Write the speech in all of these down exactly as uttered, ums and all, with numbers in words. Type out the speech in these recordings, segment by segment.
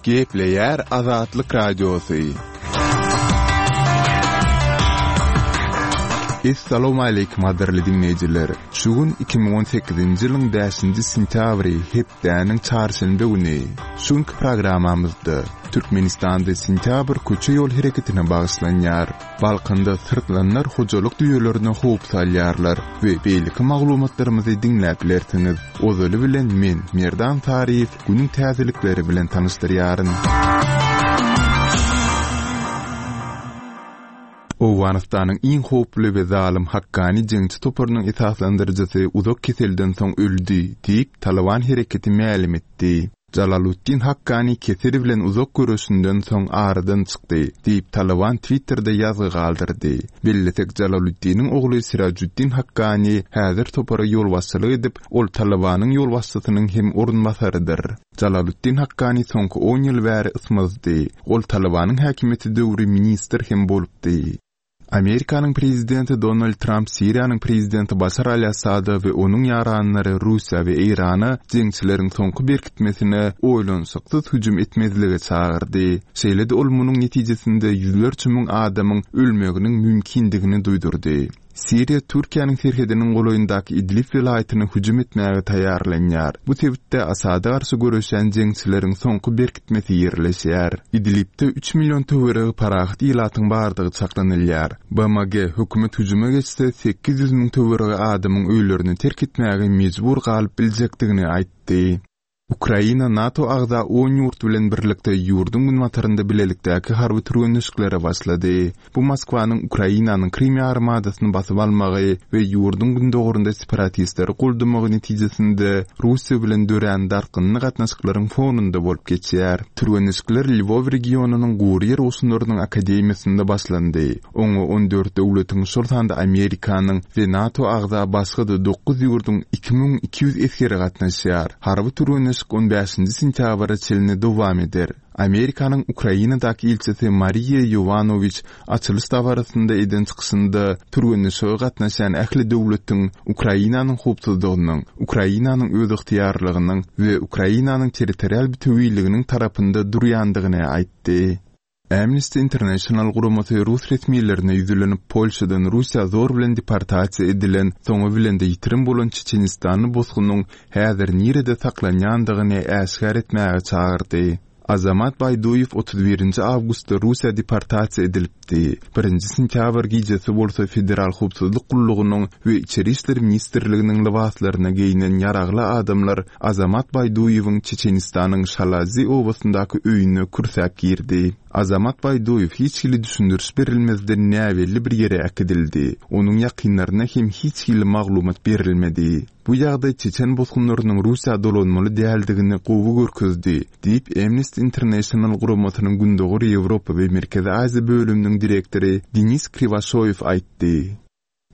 Gepleýär Azatlyk Radiosy. Essalawmaleýkim gadyrly diňleýjiler! Şu gün iki müň on sekizinji ýylyň bäşinji sentýabry, hepdäniň çarşenbe güni. Şu günki programmamyzda Türkmenistanda sentýabr köçe-ýol hereketine bagyşlanýar. Balkanda syrtlanlar hojalyk düýelerine howp salýarlar we beýleki maglumatlarymyzy diňläp bilersiňiz. Ozaly bilen men, Merdan Saryýew, günüň täzelikleri bilen tanyşdyrýaryn. Owganystanyň iň howply we zalym Hakkani jeňçi toparynyň esaslandyryjysy uzak keselden soň öldi, diýip, Talyban hereketi mälim etdi. Jalaluddin Hakkani kesel bilen uzak göreşinden soň aradan çykdy, diýip, Talyban Twitterde ýazgy galdyrdy. Bellesek, Jalaluddiniň ogly Sirajuddin Hakkani häzir topara ýolbaşçylyk edip, ol Talybanyň ýolbaşçysynyň hem orunbasarydyr. Jalaluddin Hakkani soňky on ýyl bäri ysmazdy. Ol Talybanyň häkimiýeti döwri ministr hem bolupdy. Amerikanyň prezidenti Donald Tramp Siriýanyň prezidenti Başar al-Assada we onuň ýaranlary Russiýa we Eýrana jeňçileriň soňky berkitmesine oýlanyşyksyz hüjüm etmezlige çagyrdy. Şeýle-de ol munuň netijesinde ýüzlerçe müň adamyň ölmeginiň mümkindigini duýdurdy. Siriýa Türkiýäniň serhediniň golaýyndaky Idlib welaýatyna hüjüm etmäge taýýarlanýar. Bu sebitde Asada garşy göreşýän jeňçileriň soňky berkitmesi ýerleşýär. Idlibde üç million töweregi parahat ilatyň bardygy çaklanylýar. B M G hökümet hüjüme geçse sekiz ýüz müň töweregi adamyň öýlerini terk etmäge mejbur galyp biljekdigini aýtdy. Ukraina NATO agza on ýurt bilen birlikde ýurduň günbatarynda bilelikdäki harby türgenleşiklere başlady. Bu Moskwanyň Ukrainanyň Krym ýarymadasyny basyp almagy we ýurduň gündogarynda separatistleri goldamagy netijesinde Russiýa bilen dörän dartgynly gatnaşyklaryň fonunda bolup geçýär. Türgenleşikler Lwow regionynyň gury ýer goşunlarynyň akademiýasynda başlandy. Oňa on dört döwletiň, şol sanda Amerikanyň we NATO agza başga-da dokuz ýurduň iki müň iki ýüz esgeri gatnaşýar. Harby türgenleşik on bäşinji sentýabra çenli dowam eder. Amerikanyň Ukrainadaky ilçisi Mariýa Ýowanowiç açylyş dabarasynda eden çykyşynda türgenleşige gatnaşýan ähli döwletiň Ukrainanyň howpsuzlygynyň, Ukrainanyň özygtyýarlygynyň we Ukrainanyň territorial bütewiliginiň tarapynda durýandygyny aýtdy. Amnesty International guramasy rus resmilerine ýüzlenip, Polşadan Russiýa zor bilen deportasiýa edilen, soňy bilen-de ýitirim bolan Çeçenistanly bosgunyň häzir nirede saklanýandygyny äşgär etmäge çagyrdy. Azamat Baýduýew otuz birinji awgustda Russiýa deportasiýa edilipdi. Birinji sentýabr gijesi bolsa Federal Howpsuzlyk gullugynyň we Içeri işler ministrliginiň lybaslaryna geýnen ýaragly adamlar Azamat Baýduýewiň Çeçenistanyň Şalazi obasyndaky öýüne kürsäp girdi. Azamat Baýduýew hiç hili düşündiriş berilmezden näbelli bir ýere äkidildi. Onuň ýakynlaryna hem hiç hili maglumat berilmedi. Bu ýagdaý Çeçen bosgunlarynyň Russiýa dolanmaly däldigini gowy görkezdi, diýip Amnesty International guramasynyň Gündogar Ýewropa we Merkezi Aziýa bölüminiň direktory Denis Kriwaşoýew aýtdy.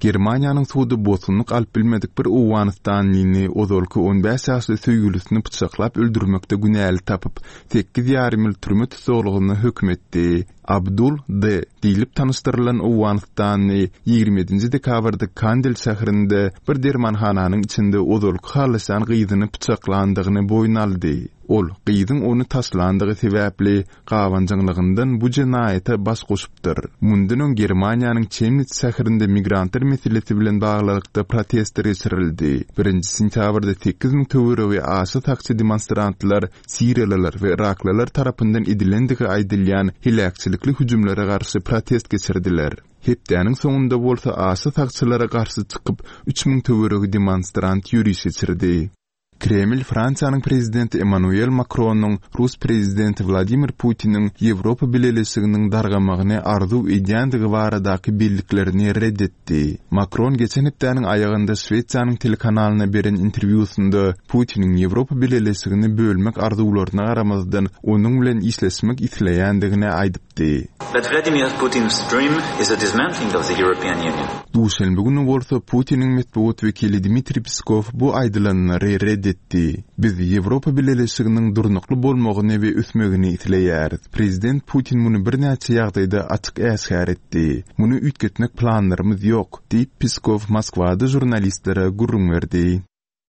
Germaniýanyň sudy bosgunlyk alyp bilmedik bir Owganystanlyny ozalky on bäş ýaşly söýgülisini pyçaklap öldürmekde günäli tapyp, sekiz ýarym ýyl türme tussaglygyna höküm etdi. Abdul D. diýlip tanyşdyrylan Owganystanly ýigrimi ýedinji dekabrda Kandel şäherinde bir dermanhananyň içinde ozalky halaşan gyzyny pyçaklandygyny boýun aldy. Ol gyzyň ony taşlandygy sebäpli gabanjaňlygyndan bu jenaýata baş goşupdyr. Mundan öň Germaniýanyň Chemnitz şäherinde migrantlar meselesi bilen baglylykda protestler geçirildi. Birinji sentýabrda sekiz müň töweregi aşa sakçy demonstrantlar Siriýalylar we Iraklylar tarapyndan edilendigi aýdylýan heläkçilikli hüjümlere garşy protest geçirdiler. Hepdäniň soňunda bolsa aşa sakçylara garşy çykyp üç müň töweregi demonstrant ýöriş geçirdi. Kreml Fransiýanyň prezidenti Emmanuel Macron'yň Rus prezidenti Wladimir Putiniň Ýewropa Bileleşiginiň dargamagyny arzuw edýändigi baradaky belliklerini red etdi. Macron geçen hepdäniň aýagynda Şwesiýanyň telekanalyna beren interwýusynda Putiniň Ýewropa Bileleşigini bölmek arzuwlaryna garamazdan onuň bilen işleşmek isleýändigini aýdypdy. But Vladimir Putin's dream is the dismantling of the European Union. Duşenbe güni bolsa Putiniň metbugat wekili Dmitriý Peskov bu aýdylanlary red etdi. Biz Ýewropa Bileleşiginiň durnukly bolmagyny we ösmegini isleýäris. Prezident Putin muny birnäçe ýagdaýda açyk äşgär etdi. Muny üýtgetmek planlarymyz ýok, diýip Peskov Moskwada žurnalistlere gürrüň berdi.